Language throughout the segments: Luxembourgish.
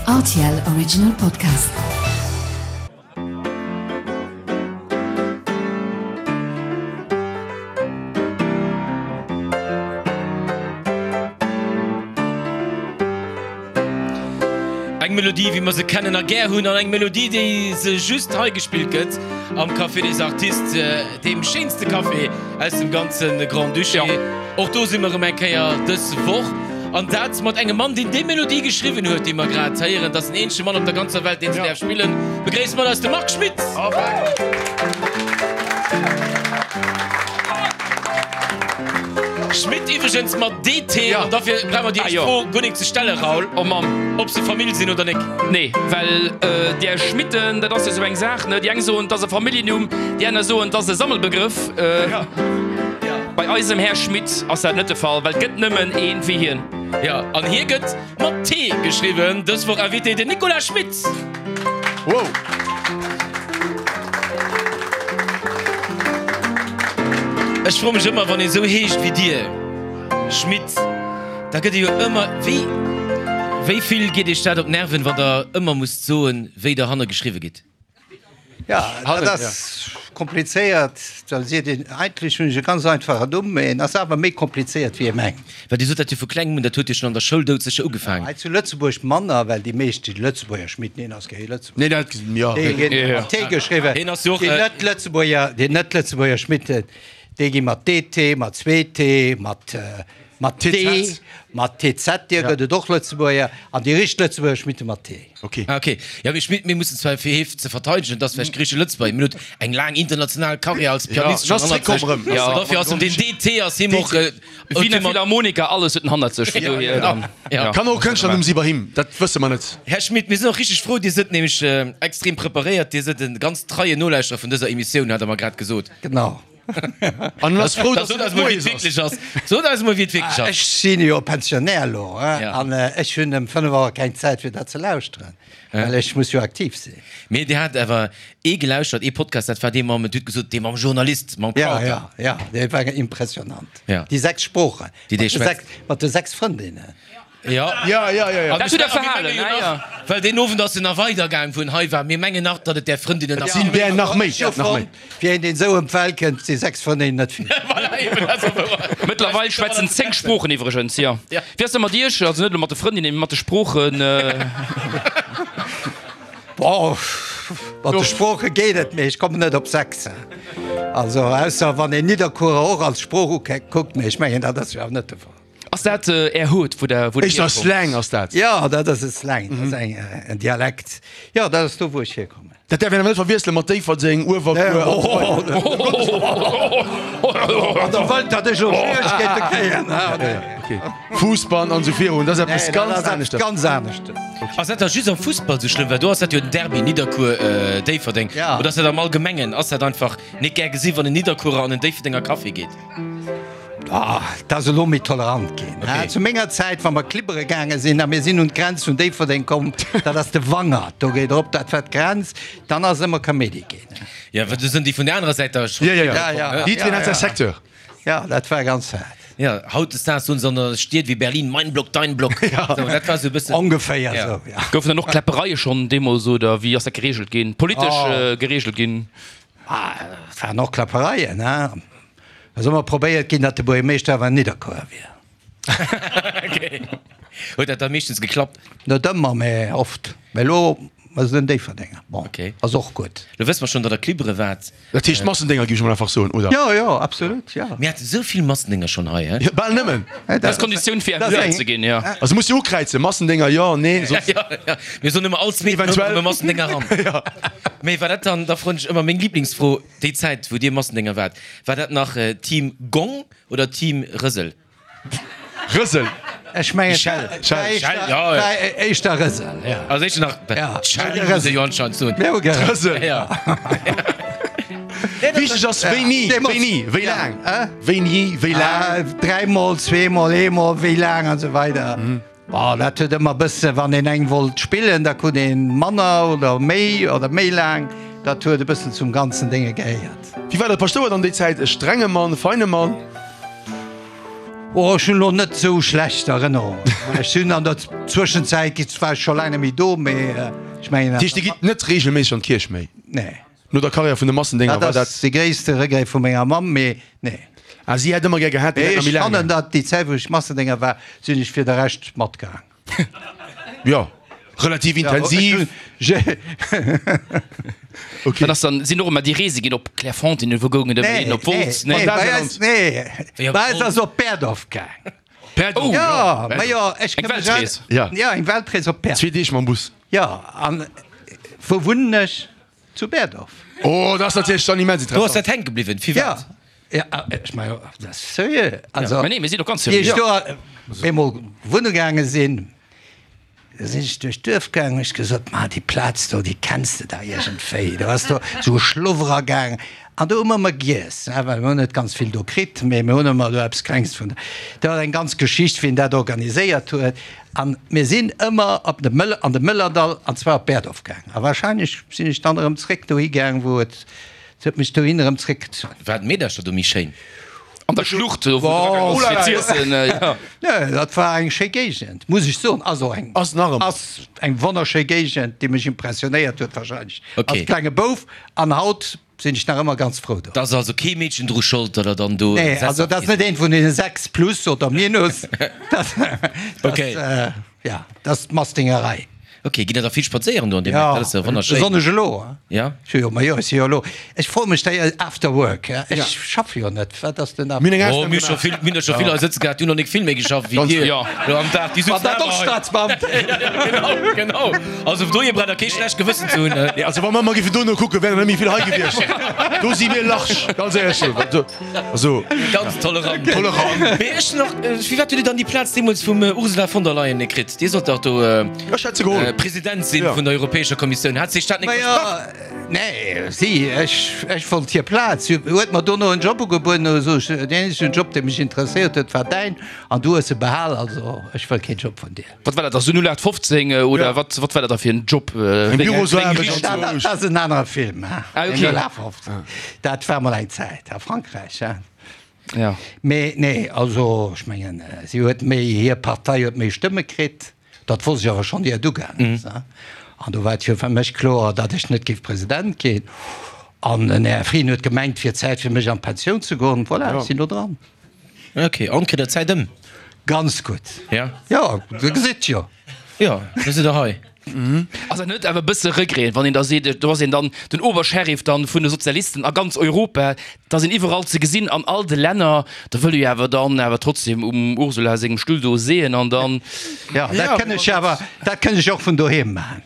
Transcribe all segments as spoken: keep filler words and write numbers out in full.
R T L Original Podcast. Eng Melodie, wéi mer se kennen a gär hunn, an eng Melodie, déi se just hei gespillt gëtt am Café des Artistes, deem schéinste Café aus dem ganze Grand-Duché. Och do si mer erëm eng Kéier dës Woch. An dat mat engem Mann, deen déi Melodie geschriwwen huet, déi mer grad héieren. Dat ass den eenzege Mann op der ganzer Welt, deen se däerf spillen. Begréisst mat eis de Marc Schmitt! Schmitt iwwregens mat D T, an dofir brauche mer déi éischt Fro guer nik ze stellen, Raoul, Oh Mamm. Ob se Famill sinn oder nik. Nee, well där Schmitten, dat ass jo sou eng Saach, ne? Déi eng soen, 't ass e Familljennumm, déi aner soen, 't ass e Sammelbegrëff. Bei eisem Här Schmitt ass dat net de Fall, well 't gëtt nëmmen een wéi hien. Jo, an hie gëtt mat T geschriwwen. Dës Woch Invité, den Nicolas Schmit. Wow! Ech froe mech ëmmer, wann ee sou heescht wéi dir, Schmit, da gëtt ee jo ëmmer, wéi, wéi vill geet iech dat op d'Nerven, wann der ëmmer musst soen, wéi der hanne geschriwwe gitt? Ja, dat ass komplizéiert. Da seet een, eigentlech hunn ech e ganz einfachen Numm, mee en ass awer méi komplizéiert wéi ee mengt. Well Dir sot dat jo vu klengem un, dat huet jo schonn an der Schoul doudsécher ugefaangen. Hei zu Lëtzebuerg manner, well déi meescht déi Lëtzebuerger Schmit, neen ass kee Lëtzebuerger, Nee, dat, jo. déi ginn mat T geschriwwen. Hien ass jo och, Déi net-Lëtzebuerger, déi net-Lëtzebuerger Schmitten, déi gi mat D T, mat zwee T, mat mat T, mat T Z, dir gëtt et och Lëtzebuerger, an déi richteg Lëtzebuerger Schmitte mat T. Ok. Ah, ok. Jo, mee Schmitt, mir mussen zwar fir hie ze verteidegen, et ass vläicht griiche Lëtzebuerger, mee en huet eng laang international Karriär als Pianist Ja, schonn ass hannert zréckkomm sech. erëm. Ja, dofir ass em deen D T ass him och. Wiener Philharmoniker, alles huet en hannert sech, vun dohier dann. Ja. Kann och e Kënschtlernumm si bei him, dat wësse mer net. Här Schmitt, mir sinn och richteg frou, Dir sëtt nämlech extrem preparéiert, Dir sëtt e ganz treien Nolauschterer vun dëser Emissioun, hat Der mer grad gesot. Genau. An en ass frou, Da dass sot et eis mol, wéi moies et ass. wierklech ass. Sot eis mol, wéi et wierklech ass. Ech sinn jo Pensionär elo, Ja. an ech hunn ëm fënnef Auer keng Zäit fir dat ze lauschteren, well ech muss jo aktiv sinn. Mee Dir hat awer ee gelauschtert, ee Podcast, dat war dee mam, Dir hutt gesot, dee mam Journalist, mam Ja, Crowther. ja, ja, dee war impressionant. Ja. Déi sechs Sproochen, Déi mat dee de schwätzt. sechs, mat de sechs Frëndinnen. Ja. Ja, ja, ja, ja. An Dat huet ech er verhalen, menge jo ne? nach, Ja. well deen Owend ass en nach weidergaang, wou en hei war. Mir mengen nach, datt et där Frëndinnen nach Sinn där nach méi, Ech hu nach méi. fonnt, fir een, deen esou ëm d'Welt kënnt, si sechs Frëndinnen net vill. Voilà, eben, dat ass och wouer. Mëttlerweil schwätzen zéng Sproochen iwwregens, jo. Ja. Wéi ass dat mat Iech? Also net elo mat de Frëndinnen, mee mat de Sproochen? Bon, mat de Sprooche geet et, mee ech kommen net op sechs. Also ausser wann een Nidderkuerer och als Sprooch ukuckt, mee ech mengen, dat ass jo awer net de Fall. Ass dat Är Hood, wou Der wou Der Éischter hierkommt? Slang ass dat. Jo, dat ass e Slang, dat ass eng en Dialekt. Jo, dat ass do, wou ech hierkommen. Dat däerf een awer net verwiessele mat Déifferdeng, Uewerkuer an esou weider. Wann Der wëllt, datt ech elo Schwieregkeete kréien, he? Fussball an esou virun, dat ass eppes Nee, dat ganz ass eppes aneschters. ganz aneschters. Ass dat da just am Fussball sou schlëmm? Well do ass dat jo den Derby Nidderkuer, Déifferdeng. Ja. Oder ass dat am Allgemengen? Ass dat einfach net gär gesi wann en Nidderkuerer an en Déifferdenger Café geet? Ah, 't ass elo méi tolerant ginn. Okay. Zu menger Zäit, wa mer klibbere gaange sinn a mir sinn un d'Grenz vun Déifferdeng komm, dat ass de Wangert, do geet erop, dat war d'Grenz, dann ass ëmmer Kaméidi ginn. Ja, well do sinn déi vun der anerer Säit da scho. Ja, ja, ja. Ja, ja. Jiddwereen hat säi Secteur. Ja, dat war ganz haart. Ja, hautdesdaags soen se an der Stied wéi Berlin, mein Block, dein Block. Sou, dat war sou e bëssen. Ongeféier Ja. esou, ja. Goufen dann och Kläppereie schonn deemools oder wéi ass dat gereegelt ginn, politesch gereegelt ginn? Ah, et waren och Kläppereien, hein. Ass ëmmer probéiert ginn, datt de Buergermeeschter awer en Nidderkuerer wier. Okay. Huet dat da meeschtens geklappt? Net ëmmer, mä oft. Mä elo ass et en Déifferdenger. Bon, Okay. ass och gutt. Lo wësse mer schonn, datt der Klibbere waart. Dat heescht Massendénger, géif ech mol einfach soen, oder? Jo, jo, absolut, jo. Mir haten esou vill Massendénger schonn hei, he? Jo, bal nëmmen. Dat ass d'Konditioun fir invitéiert ze ginn, jo. Also muss jo ukräizen, Massendénger jo, nee, soss. Jo, jo, mir soen ëmmer all zweeten Hount Eventuell. komme Massendénger ran. Jo. Mee war dat dann, da froen ech ëmmer meng Liblingsfro, Déi Zäit wou dir Massendénger waart, war dat nach Team Gong oder Team Rësel? Rësel. Ech mengen Schell. Schell, Schell, ja. Éischter Rësel, ja. Also éischter nach Ja. Schell, muss ee jo anscheinend soen. Mir hu gerëselt. Rësel. Ja. Wichteg ass wéini, wéini, wéi laang, wéini, wéi laang. Dräimol, zweemol, eemol, wéi laang an esou weider. Bon, dat huet ëmmer bësse, wann een eng wollt spillen, da krut een manner oder méi oder méi laang. Dat huet e bëssen zum ganzen Dénge gehéiert. Wéi war de Paschtouer dann déi Zäit? E strenge Mann, e feine Mann? Oh, ech hunn elo net esou schlecht Erënnerungen. Ech sinn an der Zwëschenzäit gi war ech scho laang net méi do, mee ech mengen. Dat heescht, Dir gitt net reegelméisseg an d'Kierch méi? Nee. No der Karriär vun de Massendénger war Dat dat. ass de gréisste Regret vu menger Mamm, mee nee. Ah, si hätt ëmmer gär gehat, Dir Mee hätt nach ech méi laang. fannen, datt déi Zäit, wou ech Massendénger war, sinn ech fir de Rescht matgaang. Jo, relativ intensiv. Okay. Dat ass dann, sinn och ëmmer déi Reese ginn op Clairefontaine, wou goungen ëmmer hin, op Wolz, Nee, nee? bei eis, nee, bei eis ass op Berdorf gaang. Berdorf? Ja, ma jo, ech Eng ka mech Weltrees. Ja. Ja, eng Weltrees op Berdorf. Zwee Deeg mam Bus. Ja, an wou wunnen ech? Zu Berdorf. Oh, dat ass natierlech dann immens Do ass interessant. dat hänke bliwwen, firwat? Ja, ja, ech mein, dat ass seriö. Also, Ma nee, mir sinn och ganz wéi ech seriö. do eemol wunne gaange sinn, Da sinn ech duerch d'Duerf gaangen, hunn ech gesot, Ma déi Plaz do, déi kenns de dach iergendwéi. Do ass do esou e Schluff eragaang an do hu mer ëmmer giess, ne, well mir hunn net ganz vill do kritt, mee mir hunn ëmmer do eppes Klengs vun. Dat war eng ganz Geschicht, wien dat organiséiert huet. An mir sinn ëmmer op de Mëller, an de Mëllerdall, an zwar op Berdorf gaangen. A wahrscheinlech sinn ech dann erëm zréck dohi gaang, wou et, et huet mech dohin erëm zréckgezunn. War d'Meedercher do méi schéin? An der Schlucht, do wou de Dragaang ass fir z'iessen, jo. Nee, dat war eng schéi Géigend, muss ech soen. Also eng, Ass nach ëmmer. ass eng wonnerschéi Géigend, déi mech impressionéiert huet wahrscheinlech Okay. als klenge Bouf. An haut sinn ech nach ëmmer ganz frou do. Da ass also kee Meedchen dru Schold, datt der dann do Nee, also dat ass net eent vun deene sechs plus oder minus. Dat, dat, Okay. äh, ja, dat ass d'Mastingerei. Ok, gitt der da vill spadséieren do an deem Ja, Eck? Dat ass jo wonnerschéin. besonnesch elo. Ja? Ech hu jo, ma jo, ech si jo elo, ech froe mech da after work, ja? Ech schaffe jo net, wat ass denn Mir hunn eng Oh, Ausnam mir hu scho gemaach. vill, mir hunn der scho vill hei sëtze gehat, déi hunn nach nik vill méi geschafft wéi dir Ja. elo am Dag. Déi War sutzen dat awer och hei. Staatsbeamten? Ja, genau, genau. Also dohier braucht der kee schlecht Gewëssen ze hunn. Nee, also wa mer emmer géifen dono kucken, wär der net méi vill hei gewiescht. Do si mir large, ganz éierlech. Also, Ganz tolerant. Tolerant. Mee ech nach, firwat hutt Dir dann déi Plaz deemools vum Ursula von der Leyen net kritt? Dir sollt dach do Ech hätt se geholl. President sinn Ja. vun der Europäescher Kommissioun. Hat sech dat net versprach? Majo, nee, si, ech, ech wollt hir Plaz. Si huet mer dono en Job ugebueden, du sot ech, deen eenzegen Job, dee mech interesséiert huet, war däin, an du hues e behal, also ech wëll keen Job vun dir. Wat war dat da, sou null aacht fofzéng oder Ja. wat, wat war dat da fir en Job? Eng Bürosaarbecht. Dat, dat ass en anere Film, hein? Ah, okay. Den null aacht fofzéng. Dat war mol eng Zäit a Frankräich, hein? Ja. Mee nee, also ech mengen, si huet méi, hir Partei huet méi Stëmme kritt. Dat wosst ech awer schonn, ier et ugaangen ass. An do war et jo fir mech kloer, datt ech net géif President ginn. An den Här Frieden huet gemengt, et wier Zäit fir mech an d'Pensioun ze goen. Voilà, ech sinn elo dran. Ok, an kritt Der d'Zäit ëm? Ganz gutt. Ja. Jo, Dir gesitt jo. Jo, da sidd Der hei. Ass dat net awer e bësse Regret, wann een da seet, do ass een dann den Obersheriff dann vun de Sozialisten a ganz Europa, da sinn iwwerall ze gesinn an all de Länner, da wëll ee jo awer dann awer trotzdem um Ursula sengem Stull do seeën an dann. Jo, dat kënn ech awer, dat kënn ech och vun doheem maachen.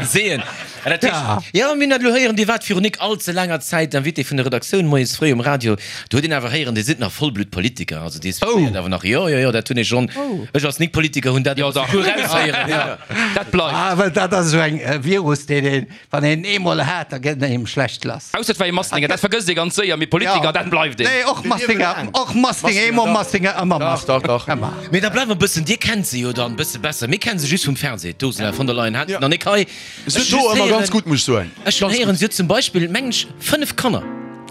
Seeën. An dat heescht, jo, mir hunn dat elo héieren, Dir waart virun nik all ze laanger Zäit Invité vun der Redaktioun moies fréi um Radio. Do huet een awer héieren, Dir sidd nach Vollbluttpolitiker. Also Dir suivéiert awer nach. Jo, jo, jo, dat hunn ech schonn. Ech als Nik-Politiker hunn dat Jo, awer dach. souguer eraushéieren. Jo. Dat bleift. Ah, well dat ass esou eng Virus, deen een, wann een eemol hat, da gëtt en engem schlecht lass. Ausser et war ee Mastinger, dat vergësst ee ganz séier, mee Politiker, dat bleift een. Nee, och Mastinger, och Mastinger, eemol Mastinger, ëmmer Dach, Mastinger. dach, dach. Ëmmer. Mee da bleiwe mer e bëssen, Dir kennt se jo dann e bësse besser. Mir kennen se just vum Fernseh, d'Ursula von der Leyen. Hat se nach nik hei. Se huet do ëmmer ganz gutt, muss ech soen. Ech hunn héieren, si huet zum Beispill, mengen ech, fënnef Kanner.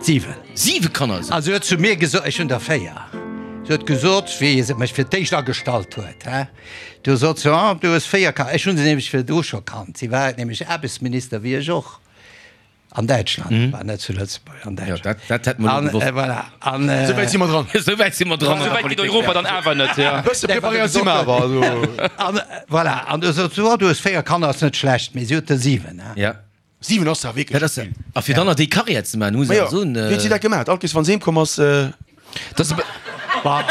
Siwen. Siwe Kanner esou. Also, si huet zu mir gesot, ech hunn der véier. Si huet gesot, wéi se mech fir d'éischt agestallt huet, hä, du sot se, oh, du hues véier Kanner. Ech hunn se nämlech virdru scho kannt. Si war nämlech Aarbechtsminister, wéi ech och. An Däitschland, war net zu Lëtzebuerg, an Jo, Däitschland. dat, dat hätt mer elo An, gewosst. äh, voilà. An, äh, Souwäit si mer dran. Souwäit si mer dran an der Souwäit geet Politik. Europa dann awer net, ja. Bësse preparéiert si mer awer, also. An, äh, voilà. An du sot se, oh, du hues véier Kanner, ass net schlecht, mee si huet der siwen, hä. Ja. Siwen ass ja wierklech Dat ass, a fir dann nach déi Karriär ze maachen, muss Ma een jo, soen. wéi huet si dat gemaach? All Kees, wann se heem komm ass, Dat ass e Bah,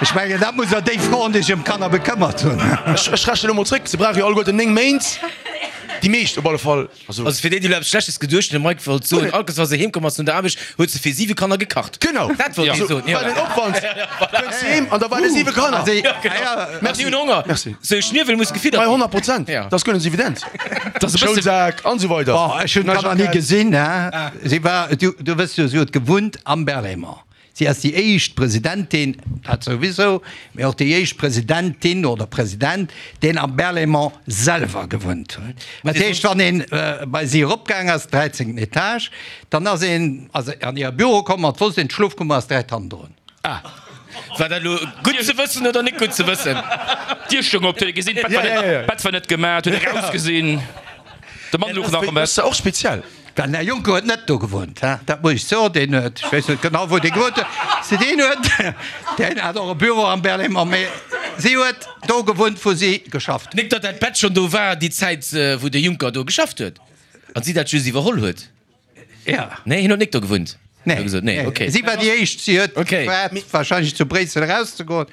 ech mengen, dat muss der déi froen, déi sech ëm d'Kanner bekëmmert hunn. Ech, ech rechnen elo mol zréck, se brauche jo alleguerten néng Méint. Déi meescht op alle Fall. Also, Also fir déi, déi elo eppes Schlechtes geduecht hunn, de Mike wollt soen, all Kees, wa se heem komm ass no der Aarbecht, huet se fir siwe Kanner gekacht. Genau. Dat wollt hie Also, soen, ja. war den Opwand, kënnt se heem an da waren siwe Kanner. Also, Ja, genau. ja, Merci. Déi hunn Honger. Merci. Sou e Schniewel muss gefiddert Bei ginn. honnert Prozent. Ja. Dat ass guer net evident. Dat ass e bësse. Schoulsak an esou weider. Bon, ech hunn d'Kanner ni gesinn, hä. Si war, du, du wëss jo, si huet gewunnt am Berlaymont. Si ass déi éischt Presidentin, dat souwisou, mee och déi éischt Presidentin oder President, deen am Berlaymont selwer gewunnt huet. Dat heescht, wann een bei si eropgaang ass, dräizéngten Etage, dann ass een an hire Büro komm an et wosst een, d'Schlofkummer ass direkt hannendrun. Ah. War dat elo gutt ze wëssen oder net gutt ze wëssen? D'Dier stoung op, huet ee gesinn, d'Bett war net, d'Bett war net gemaach, huet ee rausgesinn, de Mann louch nach am Bett. Dat ass och speziell. Den Här Juncker huet net do gewunnt, he, dat muss ech soen. Deen huet, ech weess net genau, wou dee gewunnt huet, si deen huet, deen hat och e Büro am Berlaymont, mee si huet do gewunnt, wou si geschafft huet. Nik datt dat Bett schonn do war déi Zäit, wou de Juncker do geschafft huet an si dat just iwwerholl huet. Ja. Nee, hien huet nik do gewunnt. Nee, gesot. Nee, okay. Si war déi éischt, si huet okay. gewaart, wahrscheinlech zu Bréissel erauszegoen,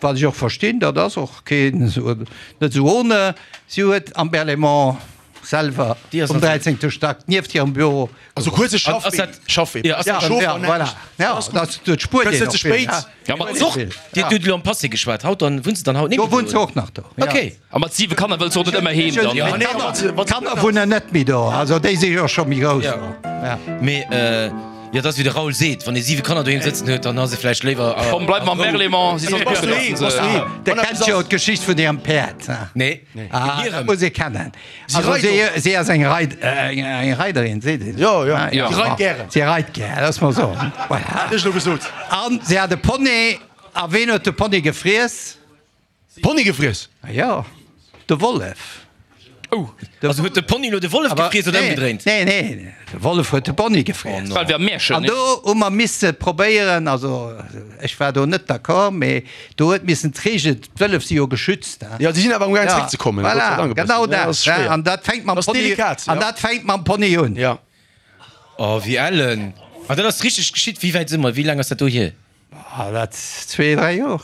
wat ech och verstinn, dat ass och keen, net esou ohne. Si huet am Berlaymont selwer um dräizéngte Stack nieft hirem Büro. Also kuerze Schaffwee. Ja, voilà. Ja, dat dat spuert een och vill. Ja, ma och, Dir hutt elo am Passé geschwat. Haut dann, wunnt se dann haut net méi do? Do wunnt se och nach do, ja. Okay. A mat siwe Kanner wëlls de och net ëmmer heem dann? Ja, nee, d'Kanner wunnen net méi do, also déi si jo scho méi grouss. Ja. Mee, jo, dat ass wéi de Raoul seet, wann ee siwe Kanner doheem sëtzen huet, dann ass ee vläicht léiwer a. Komm, bleif mam Berlaymont, si soll kucken, dass se. Dir kennt jo d'Geschicht vun hirem Päerd, ha? Nee. Ah, dat muss ee kennen. Also si, si ass eng Reit, eng Reiderin, seet een. Jo, jo, si reit gären. Si reit gär, looss mer soen. Voilà. Hat ech elo gesot. An si hat e Pony, a ween huet de Pony gefriess? Pony gefriess? Jo, de Wollef. Oh. Also huet de Pony elo de Wollef gefriess oder ëmgedréint? Nee, nee, de Wollef huet de Pony gefriess. Well wéi am Märchen, An do hu mer misse probéieren, also ech war do net d'accord, mee do huet missen d'Reegel, d'Wëllef si jo geschützt, hein. Jo, déi sinn awer amgaang zeréckzekommen, Gott sei Dank e bëssen. Voilà, genau Ja, dat, ass schwéier. an dat fänkt mam Ass Pony, delikat, an ja. dat fänkt mam Pony un. Ja. Oh, wéi ellen. An dat ass richteg geschitt? Wéi wäit si mer? Wéi laang ass dat do hier? Ah, dat zwee, dräi Joer.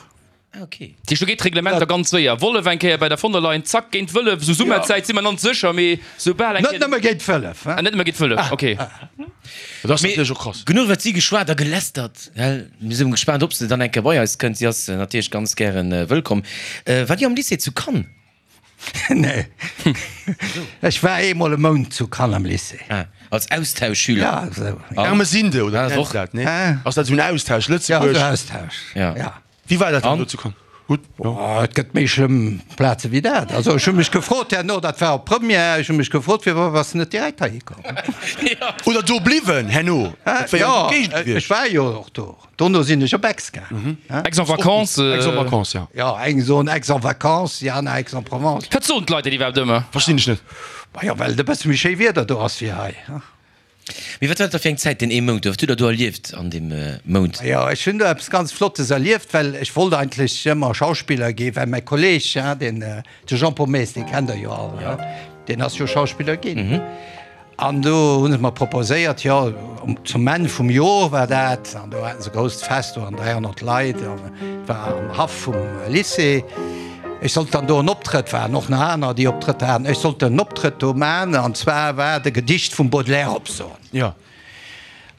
Ah, ok. Tisch, do geet d'Reglement da ganz séier. Wollef eng Kéier bei der von der Leyen, zack, géint d'Wëllef. Sou Summerzäit si mer nanz sécher, mee soubal eng Net Kéier. nëmme géint d'Wëllef, hein. Ah, net nëmme géint d'Wëllef, ok. Dat ass natierlech och krass. Genuch iwwer si geschwat a gelästert, gell? Mir si gespaant, ob se dann eng Kéier bei eis kënnt. Si ass natierlech ganz gären wëllkomm. Waart Dir am Lycée zu Cannes? Nee. Ech war eemol e Mount zu Cannes am Lycée. Ah, als Austauschschüler? Ja, esou. Ermesinde, oder wéi nennt dat, nee? Ass dat esou en Austausch, Lëtzebuerg? Ja, esou Austausch, ja. Wéi war dat dann do zu Cannes? Gutt, jo. Oh, et gëtt méi schlëmm Plaze wéi dat. Also ech hu mech gefrot herno, dat war op Première, ech hu mech gefrot, firwat bass de net direkt heihi komm? Oder do bliwwen herno? Dat wär jo Jo, eng Géigend ech gewiescht. war jo och do. Dono sinn ech op Aix gaangen. Aix-en-Vacances. Aix-en-Vacances, ja. Jo, eng soen Aix-en-Vacances, déi aner Aix-en-Provence. Wat soen d'Leit dat iwwerhaapt ëmmer? Verstinn ech net. Majo, well et e bësse méi schéi Wieder do ass wéi hei. Mee wat war dat da fir eng Zäit, deen ee Mount do? Wat hutt Der do erlieft an deem Mount? Jo, ech hunn do eppes ganz Flottes erlieft, well ech wollt eigentlech ëmmer Schauspiller ginn, well mäi Kolleeg, deen, de Jean-Paul Maes, dee kennt Der jo all, deen ass jo Schauspiller ginn. An do hu se mer proposéiert, jo, zum Enn vum Jor war dat, an do haten se e grousst Fest do an dräihonnert Leit, an et war am Haff vum Lycée. Ech sollt dann do en Optrëtt, waren och nach aner, déi Optrëtter haten, ech sollt en Optrëtt do man, an zwar war et e Gedicht vum Baudelaire opsoen. Jo.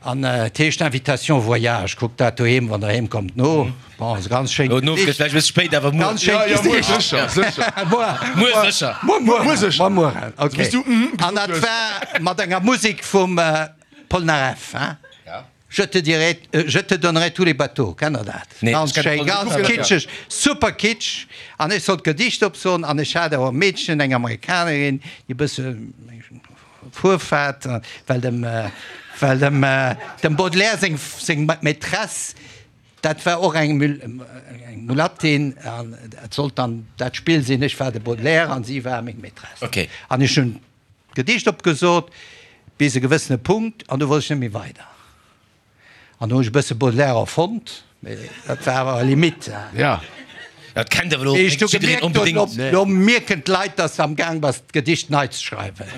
An et heescht Invitation voyage. Kuckt dat doheem, wann der heem kommt, no. Bon, ass e ganz schéint Gesicht. No gëtt vläicht e bësse spéit, awer muer. Ganz schéint Jo, jo, muer Gesicht. sécher, sécher. Muer. Muer sécher. Muer, muer. Muer sécher. Muer, muer. Okay. Bis du mhm An gesot dat hues. war mat enger Musek vum Polnareff, hein. Je te dirai, je te donnerai tous les bateaux, kennt der dat? Nee, Ganz ech kenn schéin, ganz Polnareff. kitscheg, super kitsch. An ech sollt d'Gedicht opsoen an ech hat awer e Meedchen, eng Amerikanerin, déi e bësse Fuerf hat, well dem, well dem, dem Baudelaire seng, seng Maîtresse, dat war och eng, eng Mulattin an et sollt dann dat Spill sinn, ech war de Baudelaire an si war meng Maîtresse. Okay. An ech hunn d'Gedicht opgesot bis e gewëssene Punkt an du wollt ech net méi weider. An do hunn ech e bësse Baudelaire erfonnt, mee dat war awer Limite. Ja. Dat kennt awer elo Wéi ech du jiddereen gemierkt hunn, onbedéngt. op, do mierken d'Leit, dass de am Gaang bass, d'Gedicht nei ze schreiwen.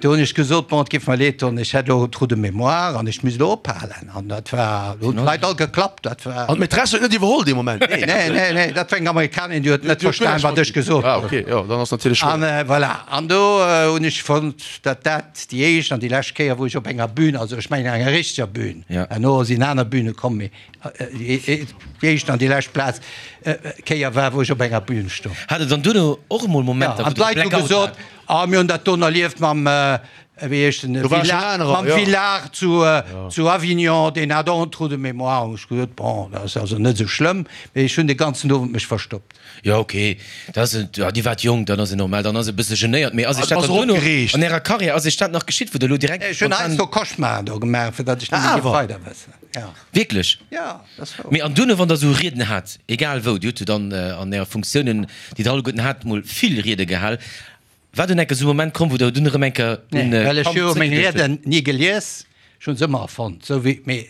Do hunn ech gesot, bon, et géif mer leed doen, ech hätt elo e Trou de mémoire an ech misst elo ophalen. An dat war, do hunn d'Leit all geklappt. Dat war. An d'Maîtresse huet net iwwerholl dee Moment? Nee, nee, nee, dat war eng Amerikanerin, déi huet net verstan, wat ech gesot Ah, hunn. okay, jo, dann ass natierlech An schwéier. voilà, an do hunn ech fonnt, datt dat déi éischt an déi lescht Kéier, wou ech op enger Bühn, also ech mengen enger richteger Bühn, Ja. herno sinn aner Bühne komm, mee déi éischt an déi lescht Plaz, Kéier war, wou ech op enger Bühn stoung. Hat Der dann duerno och emol Ja, Momenter, an wou Der d'Leit hu Blackout gesot, hat? ah, mir hunn dat do erlieft mam wéi heescht en, Do war schon Villard, anerer, mam ja. Villard zu, zu Avignon, deen hat och en Trou de mémoire. Hunn ech gesot, bon, dat ass also net esou schlëmm, mee ech hunn de ganzen Owend mech verstoppt. Jo, ok, dat ass, ja, Dir waart jonk, dann ass et normal, dann ass e bësse genéiert. Mee ass Iech dat Ass dann duerno opgereegt. an Ärer Karriär, ass Iech dat nach geschitt, wou Der elo direkt Ech hunn spontan. heiansdo Cauchemaren do gemaach, fir datt ech net méi géif Awer. weider wëssen. Ja. Wierklech? Ja, dat ass wouer. Mee an duerno, wann Der esou Rieden hat, egal wou, Dir hutt jo dann an Äre Funktiounen, déi Der alleguerten hat, mol vill Riede gehal, war dunn enker esou e Moment komm, wou Der dunn erëm enker un Nee, well ech Kand hu meng zréckgeduecht hutt? Rieden ni gelies, ech hunn se ëmmer erfonnt, sou wéi, mee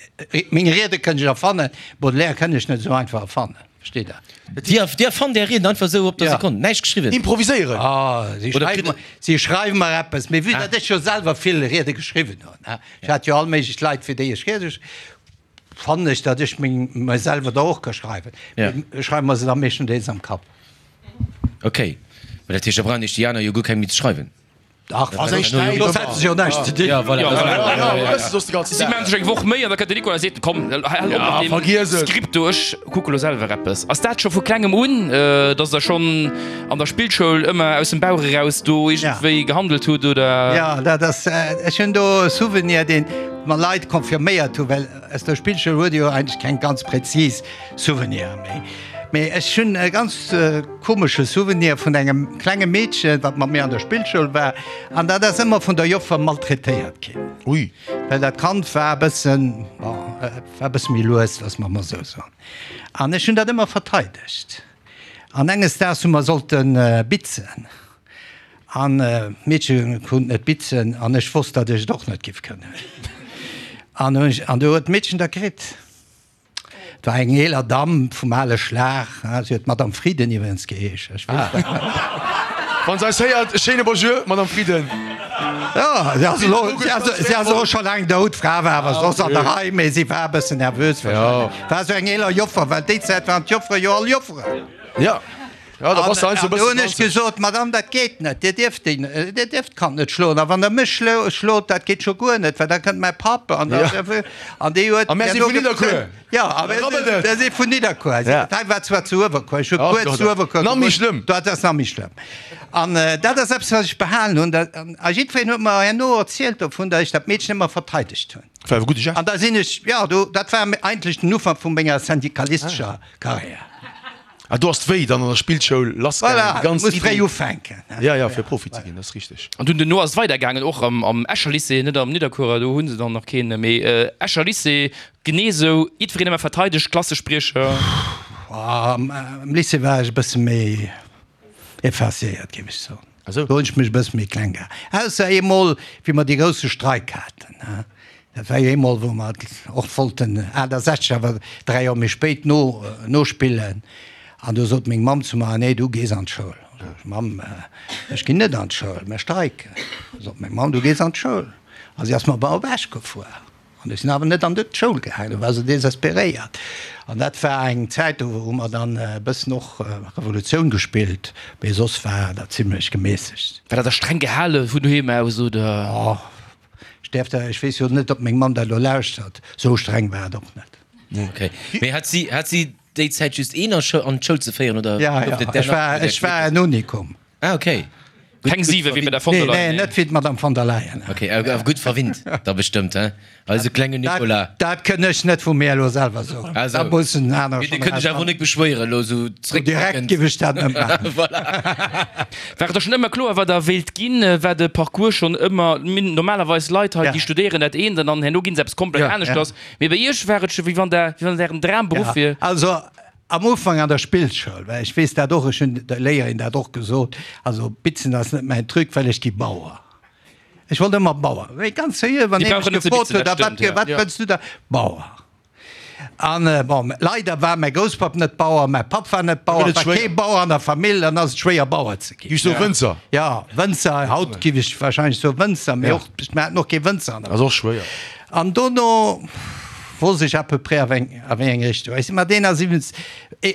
meng Riede kënnt ech erfannen, Baudelaire kënnt ech net esou einfach erfannen, versteet Der? Dir, Dir erfannt Är Rieden einfach esou op der Ja. Sekonn, näischt geschriwwen? Improviséieren. Ah, si Oder schreiwen kritt mer, si schreiwen mer eppes, mee vue datt ech jo selwer vill Riede geschriwwen hunn, he, ech hat jo all méiglech Leit, fir déi ech Riede gesch, fannen ech, datt ech meng, mer selwer der och ka schreiwen. Ja. Mee ech schreiwe mer se da meeschtendeels am Kapp. Ok, mä dat heescht, da brauchen Iech déi aner jo guer keng méi ze schreiwen. Dach, Ass eng Stäip soss ëmmer. hätte se jo näischt ze dinn. Ja, voilà. Ja, voilà. Ja, ja, wëss de soss de ganzen Si Dag. maachen sech eng Woch Méi an da kënnt de Nicolas a seet, Komm, hal op mat deem vergiess et. Skript do, ech kucke lo selwer eppes. Ass dat scho vu klengem un, dass Der schonn an der Spillschoul ëmmer aus dem Bauch eraus do iergendwéi gehandelt hutt, oder? Ja, dat ass, ech hunn do e Souvenir, deen mer Leit confirméiert hu, well aus der Spillschoul huet ee jo eigentlech keng ganz präzis Souveniren méi. Mee ech hunn e ganz komesche Souvenir vun engem klenge Meedchen, wat mat mir an der Spillschoul war, an dat ass ëmmer vun der Joffer maltraitéiert ginn. Ui. Well dat Kand war e bëssen, bon, war e bësse méi lues, loosse mer emol esou soen. An ech hunn dat ëmmer verteidegt. An enges Daags hu mer sollte bitzen. An d'Meedche konnt net bitzen an ech wosst, datt ech et och net giff kënnen. An hunn ech, an du huet d'Meedchen da kritt. Et war eng eeler Damm vum ale Schlag, si huet Madame Frieden iwwregens geheesch, ech weess dat nach. Wann se eis héiert, e schéine Bonjour, Madame Frieden. Jo, si ass elo, si ass, si ass elo scho laang dout, d'Fra war awer soss an der Rei, mee si war e bëssen nervös wahrscheinlech. War esou eng eeler Joffer, well déi Zäit waren d'Joffere jo all Jofferen. Jo. Ja, da bass de heiansdo e An do bëssen hunn ech ranzeg. gesot, Madame, dat geet net, Dir dierft déi, Dir dierft d'Kand net schloen. A wann Der mech schlot, dat geet scho guer net, well da kënnt mäi Papp an da, an dee huet. A mär si vun Nidderkuer. Jo, a mär si vun Nidderkuer. Ja. Dat hei war zwar zu Uewerkuer, ech hu Ja, kuerz zu Uewerkuer nach méi gewunnt. schlëmm. Dat ass nach méi schlëmm. An dat ass eppes, wat ech behalen hunn. Dat, a jiddwereen huet mer herno erzielt dovun, datt ech dat Meedchen ëmmer verteidegt hunn. War e gudde Geste. An da sinn ech, jo, do, dat war eigentlech den Ufank vu menger syndikalistescher Karriär. Ah, do ass d'Wéi dann an der Spillschoul lassgaangen, Voilà, déi ganz muss fréi Iddi. ufänken. Ja, ja, fir Profi ze ginn, dat ass richteg. An dunn duerno ass et weidergaangen, och am, am Escher Lycée, net am Nidderkuerer, do hu se dann nach keen, mee Escher Lycée, genee esou, jiddwereen ëmmer verteidegt, Klassespriecher. Am Lycée war ech e bësse méi effacéiert, géif ech soen. Ah sou. Do hunn ech mech e bësse méi kleng gehalen. Ausser eemol, wéi mer dee grousse Streik haten. Dat war jo eemol, wou mer och wollten aachtasechzeg, awer dräi Joer méi spéit, no, nospillen. An du sot meng Mamm zu mer, Nee, du gees an d'Schoul. Sot ech, Mamm, ech ginn net an d'Schoul, mer streiken. Sot meng Mamm, Du gees an d'Schoul. A si ass mat mer op Esch gefuer. An ech sinn awer net an d'Schoul gaangen, do war se desesperéiert. An dat war eng Zäit, do hu mer dann e bëssen och Revolutioun gespillt, mee soss war dat zimlech gemässegt. War dat da streng gehale vun doheem aus, oder? Oh, ech däerf dat, ech weess jo net, ob meng Mamm dat elo lauschtert, esou streng war et och net. Okay. Mee hat si, hat si déi Zäit just een an d'Schoul ze féieren oder Ja, gouf ja, et där ech nach war, bei der ech war en Unikum. Ah, okay. Gutt, Keng gutt siwe wéi bei der verwinnt. von der Nee, Leyen. nee, net wéi d'Madame von der Leyen. Okay, awer gutt verwinnt da bestëmmt, he? Eise klengen Nicolas. Dat, dat kënn ech net vu mir elo selwer soen. Also, Dat mussen aner Mee Dir schonn kënnt iech awer erausfannen. net beschwéieren elo esou Direkt zréckbléckend. giff ech dat net maachen. Voilà. War et da schonn ëmmer kloer, wat Der wéilt ginn? War de Parcours schonn ëmmer, mir hunn normalerweis Leit hei, Ja. déi studéieren dat eent an dann herno ginn se eppes komplett Ja. aneschters. Mee bei Iech war et scho wéi wann der, wéi wann et Ären Dramberuff Ja, wier. also am Ufank an der Spillschoul, well ech weess dat och, ech hunn der Léierin dat och gesot, also bitzen ass net mäin Truc, well ech gi Bauer. Ech wollt ëmmer Bauer. Wéi ganz seriö, wann Déi ee mech brauchen net ze gefrot bitzen, huet, dat a wat, stëmmt, ja. wat wëlls du da? Bauer. An bon, leider war mäi Grousspapp net Bauer, mäi Papp war net Bauer, gëtt et et war schwéier. kee Bauer an der Famill, dann ass et schwéier Bauer ze ginn. Giff soe Wënzer. Ja, Wënzer, haut giff ech wahrscheinlech soe Wënzer, mee Ja. och, mir haten och kee Wënzer an der Ass och schwéier. An dono wosst ech à peu près a wéi a wéi eng Richtung. Ech si mat eenasiwwenzeg,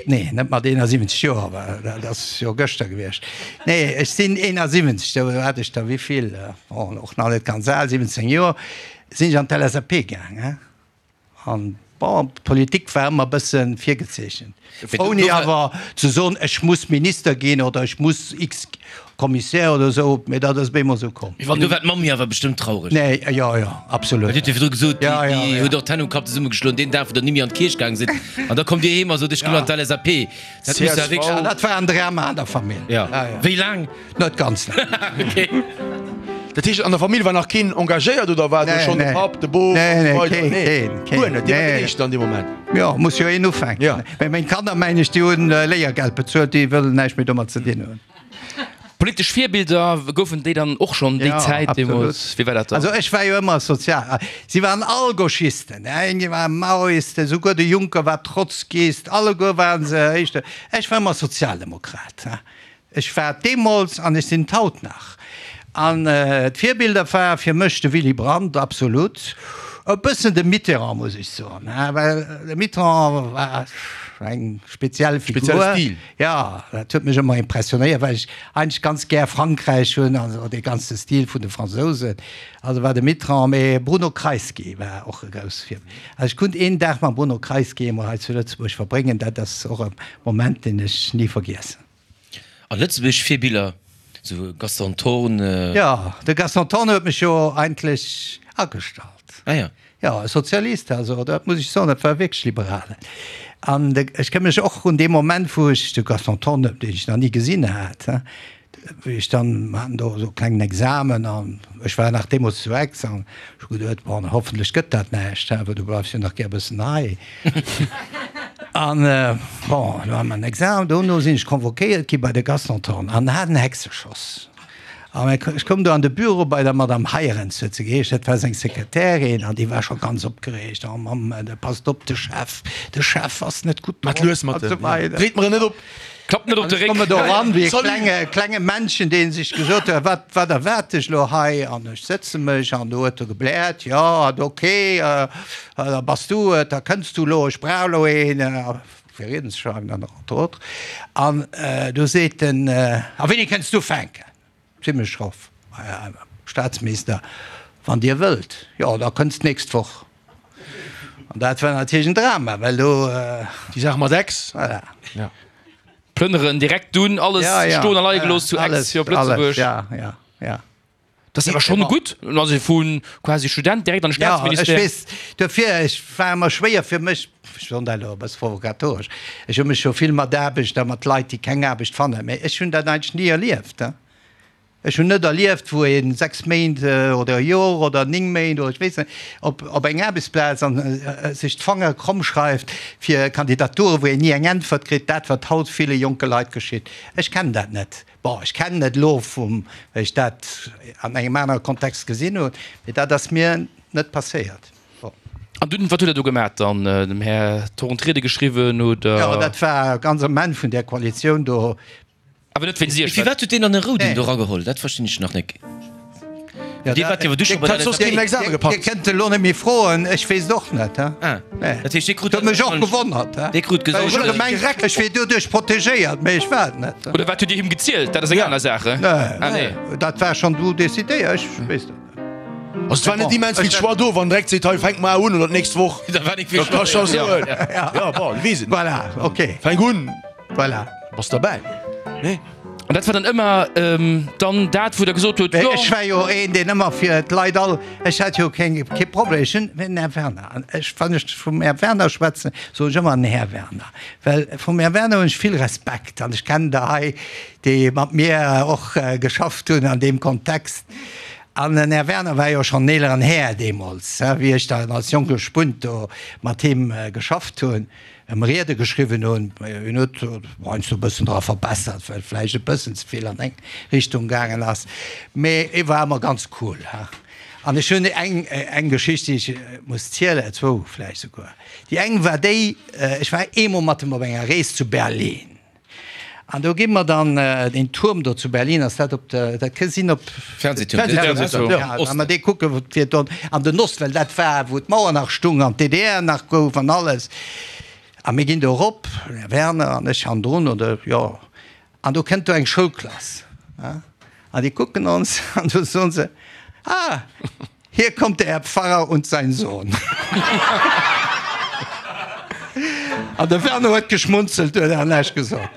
nee, net mat eenasiwwenzeg Joer, well dat ass jo gëschter gewiescht. Nee, ech sinn eenasiwwenzeg, do hat ech der wéivill, bon, och nach net ganz al, siwwenzéng Joer, sinn ech an d'LSAP gaang, hein. An Bon, d'Politik war ëmmer e bësse virgezeechent. Ouni awer ze soen, ech muss Minister ginn oder ech muss X-Kommissär oder esou, mee dat ass op eemol esou komm. Mee do war d'Mammi awer bestëmmt traureg. Nee, jo, jo, absolut. Well Dir hutt jo virdru gesot, Ja, ja, déi ja. huet och d'Hänn um Kapp zesummegeschloen deen Dag, wou der nimmi an d'Kierch gaang sidd. An da kommt Dir heem a sot, ech ginn an d'LSAP. Dat muss ja wierklech. Ja, dat war en Drama an der Famill. Ja. Ja, ja. Wéi laang? Net ganz laang. Okay. Dat heescht, an der Famill war nach keen engagéiert oder war do schonn de Papp, de Bof an esou weider? Nee, keen, Guer net, Dir waart den nee. Éischten an deem Moment? Jo, muss jo een ufänken. Ja. Mä meng Kanner, mengen ech, déi hunn Léiergeld bezuelt, déi wëllen näischt méi domat ze dinn hunn. Politesch Virbilder, goufen déi dann och schonn déi Ja, Zäit absolut. deemools? Wéi war dat dann? Also ech war jo ëmmer sozial. Si waren all Gauchisten, eng war Maoist, souguer de Juncker war Trotzkist, alleguer waren se éischter. Ech war ëmmer Sozialdemokrat. Ech war et deemools an ech sinn et haut nach. An d'Virbilder war fir mech de Willy Brandt, absolut. E bëssen de Mitterrand, muss ech soen, well de Mitterrand war eng speziell Figur. Spezielle Stil. Jo, dat huet mech ëmmer impressionéiert, well ech eigentlech ganz gär Frankräich hunn, also dee ganze Stil vun de Fransousen. Also war de Mitterrand, mee Bruno Kreisky war och e grouss Virbild. Also ech konnt een Dag mam Bruno Kreisky emol hei zu Lëtzebuerg verbréngen, dat ass och e Moment, deen ech ni vergiessen. A lëtzebuergesch Virbiller, sou Gaston Thorn? Jo, de Gaston Thorn huet mech jo eigentlech agestallt. Ah ja. Jo, e Sozialist, also dat muss ech soen, dat war wierklech liberal. An de, ech ka mech och un dee Moment, wou ech de Gaston Thorn, deen ech nach ni gesinn hat, wéi ech dann, mer haten do esou e klengen Examen an ech war nach deemools zu Aix an ech hu geduet, bon, hoffentlech gëtt dat näischt, well du bleifs jo nach gär e bëssen hei. An, bon, elo hat mer en Examen, dono sinn ech convoquéiert gi bei de Gaston Thorn an hat en Hexeschoss. An ech koum do an de Büro bei der Madame Heirens, huet se geheescht, dat war seng Sekretärin, an déi war scho ganz opgereegt, Oh Mamm, passt op, de Chef, de Chef ass net gutt Mat drop lues mat an esou dem, weider. dréit mer en net op. Klappt net op de Ech Réck. komme do eran wéi e Salut. klenge, klenge Männchen, dee sech gesot huet, Wat, wat erwaart dech elo hei? An ech sëtze mech an do huet e gebläert, Jo, an ok, da bass du et, da kënns du elo, ech brauch elo een fir Rieden ze schreiwen, an entre autres. An du seet en, A wéini kënns du ufänken? Zimmlech schroff, Här Staatsminister, wann Dir wëllt, jo, da kënnst d'nächst Woch. An dat war natierlech en Drama, well do. Déi Saach mat Ex. Voilà. Ja. Plënneren direkt dunn, alles Ja, ja. stoen a leie gelooss zu Ex fir op Lëtzebuerg. Alles, ja, ja, ja. Dat ass awer schonn gutt, also vu quasi Student direkt an de Ja, ech Staatsministère. weess, dofir, ech war ëmmer schwéier fir mech, ech soen dat elo e bësse provokatoresch, ech hu mech jo vill mat Aarbecht a mat Leit, déi keng Aarbecht fannen, mä ech hunn dat eigentlech ni erlieft. Ech hunn net erlieft, wou ee sechs Méint oder e Jor oder néng Méint oder ech weess net op op eng Aarbechtsplaz an sech d'Fanger kromm schreift fir Kandidaturen, wou een ni eng Äntwert kritt, dat wat haut ville jonke Leit geschitt. Ech kennen dat net. Bon, ech kennen et elo vum, well ech dat an engem anere Kontext gesinn hunn, mee dat ass mir net passéiert. Bon. An dunn, wat hutt Der do gemat dann? Dem Här Thorn d'Riede geschriwwen oder? Jo, dat war ganz am Enn vun där Koalitioun do. Awer net wéinst Iech. Firwat huet deen dann e Rouden Nee. do rageholl? Dat verstinn ech nach nek. Ja, Dir waart jo awer du scho bei der Hätt soss keen LSAP. Examen Dir gepackt. kënnt elo net méi froen, ech weess et och net. Ah, Nee. dat heescht, dee krut Dat huet mech och dann- gewonnert. Dee krut Well ech gesot, hu gemengt, ech wier doduerch protegéiert, mee ech war et net. Oder wat hutt Dir him gezielt? Dat ass eng aner Saach. Nee, Ah, nee. dat war schonn du decidéiert, ech weess dat net. Also et war net immens vill Choix do, wann direkt seet, hei fänk mar un oder d'nächst Woch. Da war nik vill Dat ka Choix. scho soen. Ja, bon, weess et net. Voilà, okay, Fänk un, voilà. bass derbäi. Nee. An dat war dann ëmmer dann dat, wou Der gesot hutt, jo. Ech war jo een, deen ëmmer fir d'Leit all, ech hat jo keng, kee Problem, ech hunn den Här Werner, an ech, wann ech vum Här Werner schwätzen, soen ech ëmmer den Här Werner, well vum Här Werner hunn ech vill Respekt an ech kennen der hei, déi mat mir och geschafft hunn an deem Kontext. An den Här Werner war jo schonn en eeleren Här deemools, wéi ech dann als jonke Spunt do mat him geschafft hunn. Em Riede geschriwwen hunn. Hien huet heiansdo e bëssen dra verbessert, well vläicht e bëssen ze vill an eng Richtung gaangen ass. Mee e war ëmmer ganz cool. An ech hunn eng, eng Geschicht, déi ech muss zielen, zwou vläicht souguer. Déi eng war déi, ech war eemol mat em op enger Rees zu Berlin. An do gi mer dann deen Tuerm do zu Berlin, ass dat op der, dat ke sinn op. Fernsehturm. Fernsehturm, ja. Wa mer dee kucke fir do an den Ost, well dat war, wou d'Mauer nach stung an d'DDR nach gouf an alles. A mir ginn do erop, den Här Werner an ech hannendrun, oder jo, an do kënnt do eng Schoulklass, an déi kucken ons an du soen se, Ah, hier kommt der Herr Pfarrer und sein Sohn. An de Werner huet geschmunzelt, huet awer näischt gesot.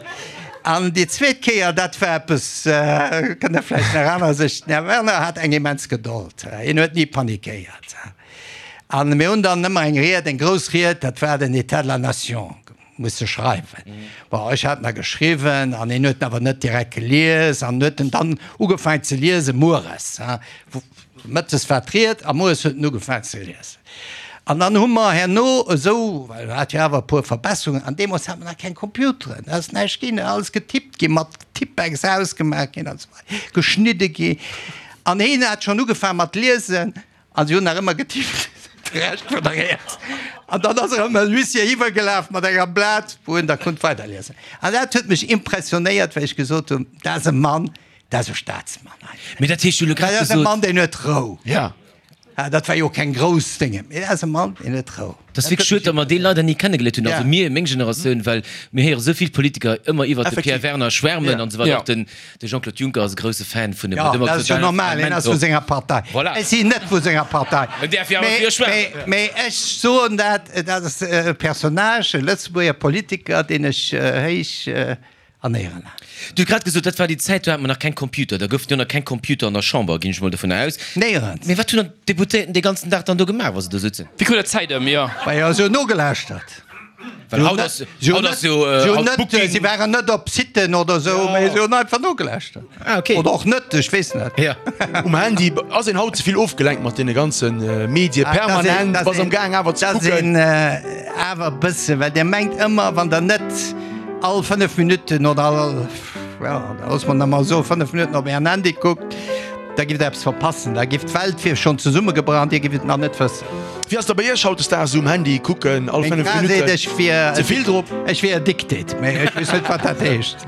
An déi zweet Kéier, dat war eppes, kënnt Der vläicht nach aner sech, den Här Werner hat eng immens Gedold, hien huet ni panikéiert. An mir hunn dann ëmmer eng Ried, eng grouss Ried, dat war den État de la Nation, musse schreiwen. Bon, ech hat en da geschriwwen an hien huet en awer net direkt gelies an huet en dann ugefaangen ze liesen mueres. Mëttes war d'Ried a mueres huet en ugefaangen ze liesen. An dann hu mer herno esou, well hat jo awer e puer Verbesserungen, an deemools hat mer nach keng Computeren, da ass näischt ginn, alles getippt ginn, mat Tippex ausgemaach ginn an esou weider, geschnidde ginn. An hien hat schonn ugefaangen mat liesen a si hunn nach ëmmer getippt, de Rescht vun der Ried. An dann ass erëm en Huissier iwwergelaf mat enger Blat, wou en da konnt weiderliesen. An dat huet mech impressionéiert, well ech gesot hunn, dat ass e Mann, dat ass e Staatsmann eigentlech. Mee dat heescht, du hues elo grad Dat ass e gesot. Mann, deen huet Rou. Ja. Dat war jo keng grouss Dénge, mee dat ass e Mann, deen huet Rou. Dat ass wierklech schued, datt mer dee leider ni kennegeléiert hunn, also mir, meng Generatioun, well mir héiere sou vill Politiker ëmmer iwwert de Pierre Werner schwärmen an esou weider. Och den de Jean-Claude Juncker ass e grousse Fan vun him. Jo, dat ass jo normal, hien ass vu senger Partei. Voilà. Ech sinn net vu senger Partei. En däerf jo awer fir schwärmen. Mee ech soen dat, dat ass e Personnage, e Lëtzebuerger Politiker, deen ech héich An Éieren. Du hues grad gesot, dat war déi Zäit, do hat mer nach keng Computer, da goufen jo nach keng Computer an der Chamber, ginn ech mol dovun aus. Néierens. Mee wat hunn dann d'Deputéierten dee ganzen Dag dann do gemaach, wa se do sutzen? Wéi krut der d'Zäit ëm, jo? Majo, se hunn nogelauschtert. Well haut ass, haut ass jo, Se hunn haut net, Booking. si waren net op Siten oder esou, mee se hunn einfach nogelauschtert. Ah, okay. Oder och net, ech weess net. Ja. Um Handy ass een haut ze vill ofgelenkt mat deene ganze Medie permanent, bass am gaang awer ze Dat ass kucken. een awer e bësse, well Dir mengt ëmmer, wann Der net All fënnef Minutten oder all, ja, da loosse mer et emol soen, fënnef Minutten op Ären Handy kuckt, da giff Der eppes verpassen. Da giff d'Welt wier schonn zesummegebrach an Dir giff et nach net wëssen. Wéi ass da bei Iech hautdesdaags esou um Handy kucken all Meng fënnef Fra seet, Minutten? ech wier, Ze vill drop? ech wier addicted, mee ech weess net, wat dat heescht.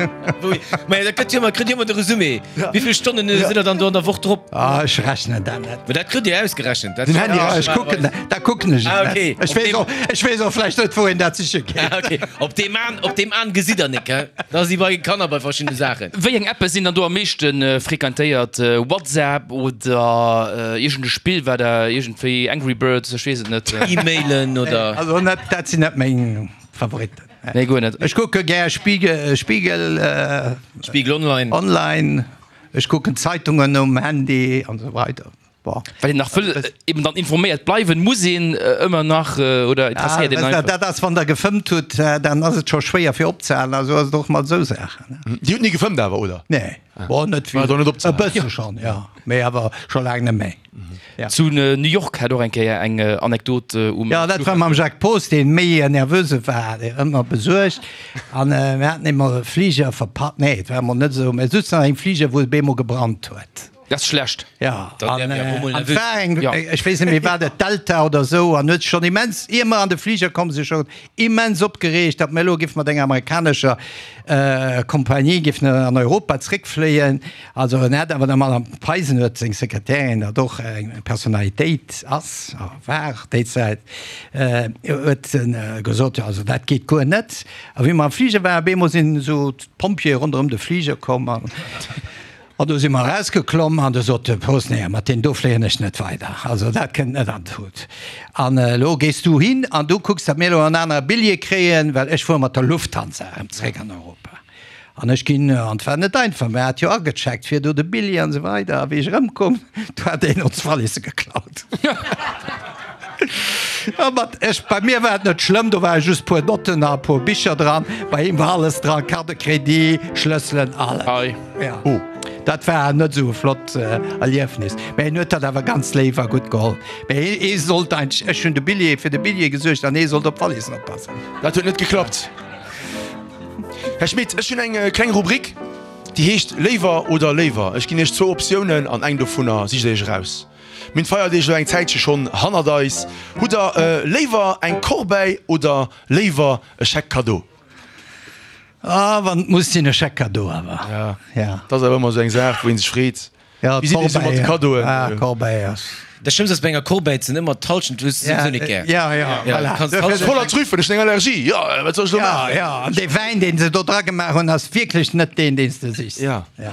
Mä da kritt Dir ëmmer, kritt Dir ëmmer de Resumé. Wéi vill Stonnen sidd Der dann do an der Woch drop? Ah, ech rechnen dat net. Mä dat kritt Dir ausgerechent. Den Handy Ja, rechent. ech kucken, da kucken ech et Ah, net. okay. Ech weess och, ech weess och vläicht net, wou een dat siche geet. Ah, okay. Op deem An, op deem An gesitt Der nik, hä? Da si bei Kanner bei verschiddene Saachen. Wéi eng Appe sinn dann do am meeschte frequentéiert? WhatsApp oder iergend e Spill, wat Der iergendwéi, Angry Birds, ech weess et net. E-Mailen oder? Also net, dat sinn net meng Favoritten. Nee, guer net. Ech kucke gär Spiegel, Spiegel, Spiegel Online. Online, ech kucken Zeitungen um Handy an esou weider. Bon. Well een nach wëll eben dann informéiert bleiwen, muss een ëmmer nach, oder interesséiert een einfach? Dat ass, wann Der gefëmmt hutt, dann ass et scho schwéier fir opzehalen. Also ass et och mat esou Saachen. Dir hutt ni gefëmmt awer, oder? Nee, bon, net vill. War do net opzehalen? E bësse schonn, jo, mee awer scho laang net méi. Ja. Zu New York hat och eng Kéier eng Anekdot um. Ja, dat war mam Jacques Poos, dee méi nervöse war, dee ëmmer besuergt. An mir haten eemol e Fliger verpasst, nee, et war emol net esou, mir souzen an engem Fliger, wou et op eemol gebrannt huet. Dat ass schlecht. Ja, Dann an wär mir och mol an et nervös. war eng, Ja. ech weess net méi, war dat Delta oder esou, an huet schonn immens, ier mer an de Fliger komm sinn, schonn immens opgereegt, datt mir elo géife mat enger amerikanescher Kompanie géifen an Europa zréckfléien. Also en hat awer der Madame Peisen huet seng Sekretärin, dat och eng Personalitéit ass a war déi Zäit, huet gesot, jo also dat geet guer net. A wéi mer am Fliger waren, op eemol sinn esou d'Pompjeeë ronderëm de Fliger komm an an do si mer erausgeklomm an du sot de Post, nee, mat deem do fléien ech net weider, also dat kënnt net an d'Tut. An elo gees du hin an du kucks, datt mir elo en anere Billjee kréien, well ech fuere mat der Lufthansa erëm zréck an Europa. An ech ginn, an 't war net einfach, mä hat jo agecheckt fir do de Billjee an esou weider, a wéi ech erëmkomm, do hat een ons Walisse geklaut. A mat ech, bei mir war et net schlëmm, do ware just puer Notten a puer Bicher dran, bei him war alles dran, Carte de crédit, Schlësselen, alles. Ei. Ja. Dat war net esou e flott Erliefnis, mä hien huet dat awer ganz léif a gutt geholl. Mä hie, hie sollt eigentlech, ech hunn de Billjee, fir de Billjee gesuergt an hie sollt op d'Wallissen oppassen. Dat huet net geklappt. Här Schmit, ech hunn eng kleng Rubrik, déi heescht Léiwer oder léiwer. Ech ginn Iech zwou Optiounen an eng dovunner sicht Der Iech eraus. Mir hunn d'Feierdeeg elo eng Zäitche schonn hannert eis. Hutt Der léiwer eng Corbeille oder léiwer e Chèque cadeau? Ah, wann et muss sinn, e Chèque cadeau awer. Ja, Ja. dat ass awer ëmmer esou eng Saach, wou ee sech freet. Ja, Wéi sidd Dir esou mat de Cadeauen? Ah, Corbeille ass. Dat Schlëmmst ass bei enger Corbeille sinn ëmmer d'Halschent, hues de souwisou net gär. Ja, ja, voilà. Kanns d'Halschent. Voller Trüffel, ech hunn eng Allergie, jo, wat soll ech elo Ja, maachen? ja, an dee Wäin, deen se do dra gemaach hunn, ass wierklech net deen, deen s de sichs. Ja. Ja.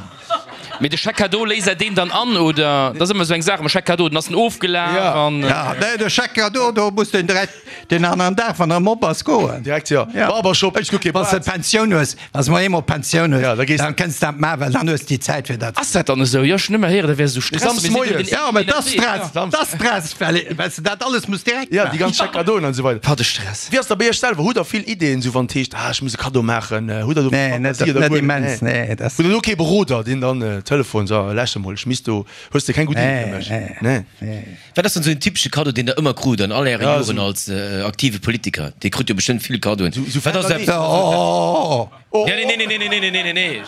Mee de Chèque cadeau, léist Der deen dann an oder? Dat ass ëmmer esou eng Saach mam Chèque cadeau, dann ass en ofgelaf an. Ja, nee, de Chèque cadeau, do muss de direkt deen aneren Dag, wann en erëm op ass, goen. Direkt, jo. Barbershop, ech kuck kee Wann s de Bart. Pensioun hues, wann s de mol eemol Pensioun hues, Ja, da gees dann kënns de dat maachen, well dann hues de déi Zäit fir dat. Ass dat dann esou? Jo, ech hunn ëmmer héieren, dat wär esou Stress. Samsdes Mee si moies. Ja, mä dat ass Stress, dat ass Stress, well well s de dat alles muss direkt Ja, déi maachen. ganz Chèque cadeauen an esou weider. Wat e Stress. Wéi ass dat bei Iech selwer? Hutt Der vill Ideeën, esou wann et heescht, ah, ech muss e Cadeau maachen? Hutt Der do Nee, net, Fantasie oder net guer net? immens, nee, dat. Hutt Der do kee Beroder, deen dann Telefon, so, lauschter mol, ech misst do, hues de keng gutt Iddi fir mech? Nee, Nee. Wat ass dann esou en typesche Kaddo, deen Der ëmmer krut an all Äre Ja, Joren esou. als aktive Politiker? Dir krut jo bestëmmt vill Kaddoen. Sou Wat ass Fantasie. eppes? Oh, oh, oh. Nee, nee, nee, nee, nee, nee, nee, nee, nee.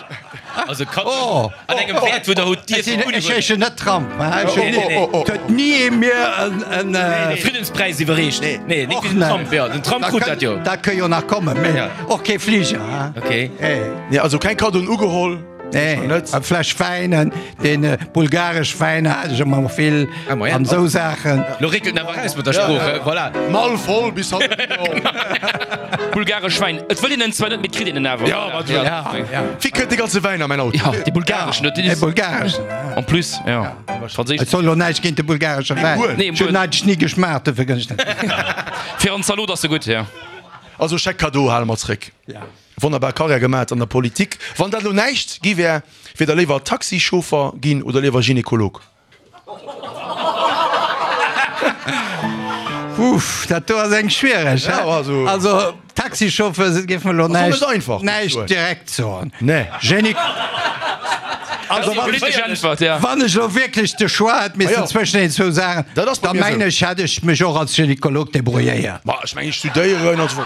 Also Kaddoen Oh. an engem Wäert, wou Der hutt Ech dierfen sinn, ech unhuelen. heeschen net Trump, hein. Ech hunn Nee, nee, ni, et huet ni ee mir en, en, Friedenspräis iwwerreecht. Nee. Nee, net Och wéi den net. Trump, jo. Den Trump krut dat jo. Dat kënn jo nach kommen, mee Ja. och kee Fliger, hein. Okay. Nee. Nee, also keng Kaddoen ugeholl? Nee, Net? eng Fläsch Wäin, en, deen bulgaresch Wäin hat ech ëmmer vill Ah, ma ja. an esou Saachen. Lo réckelt en awer raus mat der Sprooch, he? Voilà. Mall voll bis hannen. Bulgaresch Wäin, et wëll een en zwar net, mee et kritt een en awer. Ja, wat ja. Ja, ja. Wie kënnt de ganze Wäin a mäin Auto? Ja, dee bulgareschen, net Dee bulgareschen, ja. En plus, ja. Franséisch. Et soll lo näischt géint de bulgaresche Wäin. Nee, Ech hunn eigentlech ni geschmaacht, dofir kënn ech net. Fir an Zalot ass se gutt, ja. Also Chèque cadeau hale mer zréck. Ja. Wonnerbar Karriär gemat an der Politik. Wann dat elo näischt gi wär, wier der léiwer Taxichauffer ginn oder léiwer Gynekolog? Uff, dat do ass eng schwiereg, hä? Ja, also. Also Taxichauffeur géif mer elo Ass och näischt, net einfach, muss ich näischt soen. direkt soen. Nee. Gyne. Also wann ech, Politesch Äntwert, ja. wann ech elo wierklech de Choix hätt missen Ah ja. zwëschen den zwou Saachen, Dat ass bei da mir mengen esou. ech, hätt ech mech och als Gynekolog debrouilléiert. Ma ech mengen, ech studéieren an esou.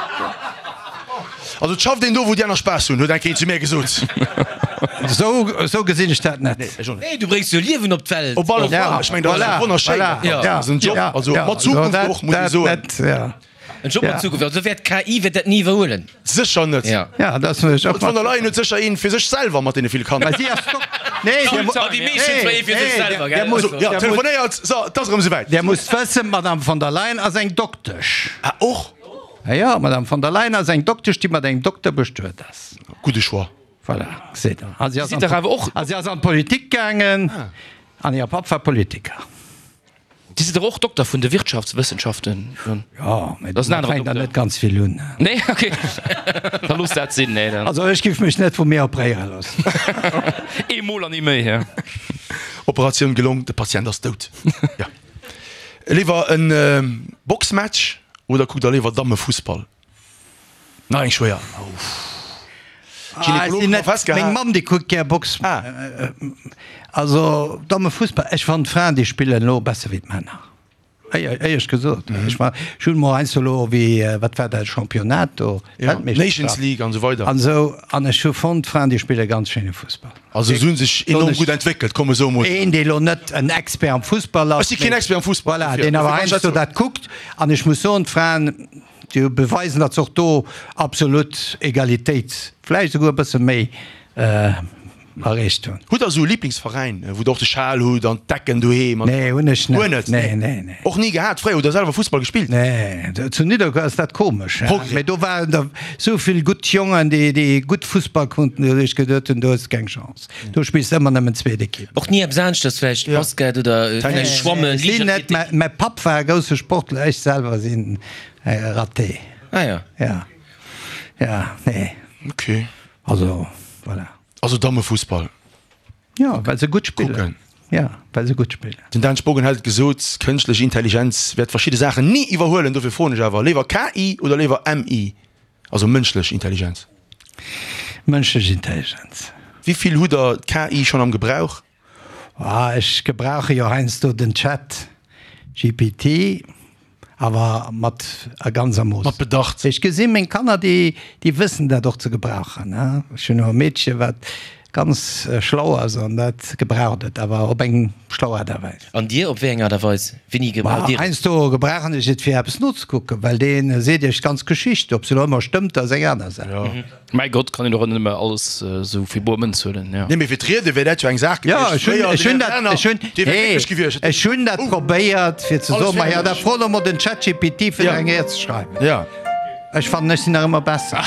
Also et schafft een do, wou déi aner Spaass hunn, huet eng Kéier zu mir gesot. Esou, esou gesinn ech dat net. Ech och net. Nee, du bréngs jo Liewen op d'Welt. Op alle Ja, Fall, ech mengen, dat ass voilà, wonnerschéin. voilà, Ja, dat ass en Job, ja, also ja, mat Zukunft also dat, och, muss ee dat soen. net, ja. En Job mat Ja. Zukunft. Also wäert d'KI wäert dat ni iwwerhuelen. Sécher net. Ja. Ja, dat muss ech och D'Von der mat. Leyen huet sécher een fir sech selwer mat deene ville Kanner. Mä si ass Dok. Nee, Dir mu. Ah, déi meescht hunn zwar ee fir sech Nee, selwer, Dir gell? musst, Also, Ja, Dir musst, telefonéiert, so, et ass erëm esouwäit. Dir musst wëssen, d'Madame von der Leyen ass eng Doktesch. Ah, och? Ja, ja, d'Madame von der Leyen ass eng Doktesch, déi mat engem Dokter bestuet ass. Gudde Choix. Voilà, geséit Der. A si ass Sidd an der awer och. a si ass an d'Politik gaangen an hire Papp war Politiker. Dir sidd dach och Dokter vun de Wirtschaftswëssenschaften? Jo, mee Dat ass en domat aneren fänkt der Dokter. net ganz vill un. Nee, okay. Da loosst dat sinn. Nee, dann. Also ech giff mech net vu mir opréiere loossen. Eemol an ni méi, ja. Operatioun gelong, de Patient ass dout. Ja. Léiwer en Boxmatch oder kuckt der léiwer Dammefussball? Nach eng schwéier. Ah, ech sinn net, meng Mamm déi kuckt gär Box. Ah. Also Dammefussball, ech fannen d'Fraen déi spillen elo besser wéi d'Männer. Éierlech gesot. Ech war, ech hunn mol heiansdo elo wéi, wat war dat, Championnat do, Ja, Nations League an esou weider. An esou, an ech hu fonnt d'Fraen déi spille ganz schéine Fussball. Also se hunn sech enorm gutt entwéckelt, komm esou emol. Een dee elo net en Expert am Fussball ass. Ech si keen Expert am Fussball. Voilà, deen awer heiansdo dat kuckt. An ech muss soen, d'Fraen, déi beweisen, datt se och do absolut Egalitéit, vläicht esouguer e bësse méi, erreecht hunn. Hutt der esou e Liblingsveräin, wou der och de Schal hutt an d'Decken doheem an. Nee, hunn ech net. Guer net? Nee, nee, nee. Och ni gehat? Fréier hutt der selwer Fussball gespillt? Nee, zu Nidderkuer ass dat komesch, hè. Progrès. Mee do waren der esou vill gutt Jongen, déi, déi gutt Fussball konnten, wou ech geduet hunn, do hues de keng Chance. Do spills de ëmmer nëmmen zweet Ekipp. Och ni eppes aneschters, vläicht Basket oder vläicht Schwammen, Ech sinn net, Liichtathletik? mäi Papp war e grousse Sportler, ech selwer sinn raté. Ah ja. Ja, ja, nee. Okay. Also, voilà. Also Dammefussball. Ja, well se gutt spillen. Kucken. Ja, well se gutt spillen. Den Dan Spogen hält gesot, kënschtlech Intelligenz wäert verschidde Saachen ni iwwerhuelen. Dofir froen ech awer, léiwer KI oder léiwer MI, also mënschlech Intelligenz? Mënschlech Intelligenz. Wéi vill hutt der d'KI schonn am Gebrauch? Ah, ech gebrauche jo heiansdo den Chat GPT. Awer mat a ganz a Mooss. Mat Bedacht. Ech gesi meng Kanner, déi, déi wëssen dat och ze gebrauchen. Ech hunn och e Meedche wat ganz schlau ass an dat gebraucht et, awer op eng schlau Aart a Weis. An Dir, op wéi eng Aart a Weis? Wéini gebraucht Dir et? Heiansdo gebrauchen ech et fir eppes nozekucken, well dee seet Iech d'ganz Geschicht. Ob se elo ëmmer stëmmt, ass eng aner Saach. Mäi Gott, kann een och net ëmmer alles esou fir boer Mënz huelen, jo. Nee, mee fir d'Riede wär dat jo eng Saach Jo, gewiescht. ech hunn, Fréier, ech den hunn Här dat, Werner, ech hunn, dee wär hey, glécklech gewiescht. ech hunn dat probéiert fir ze Alles soen, ma jo, da fäerdeg. fro elo mol den ChatGPT fir Ja. der eng Ried ze schreiwen. Ja. Ech fannen, ech sinn nach ëmmer besser.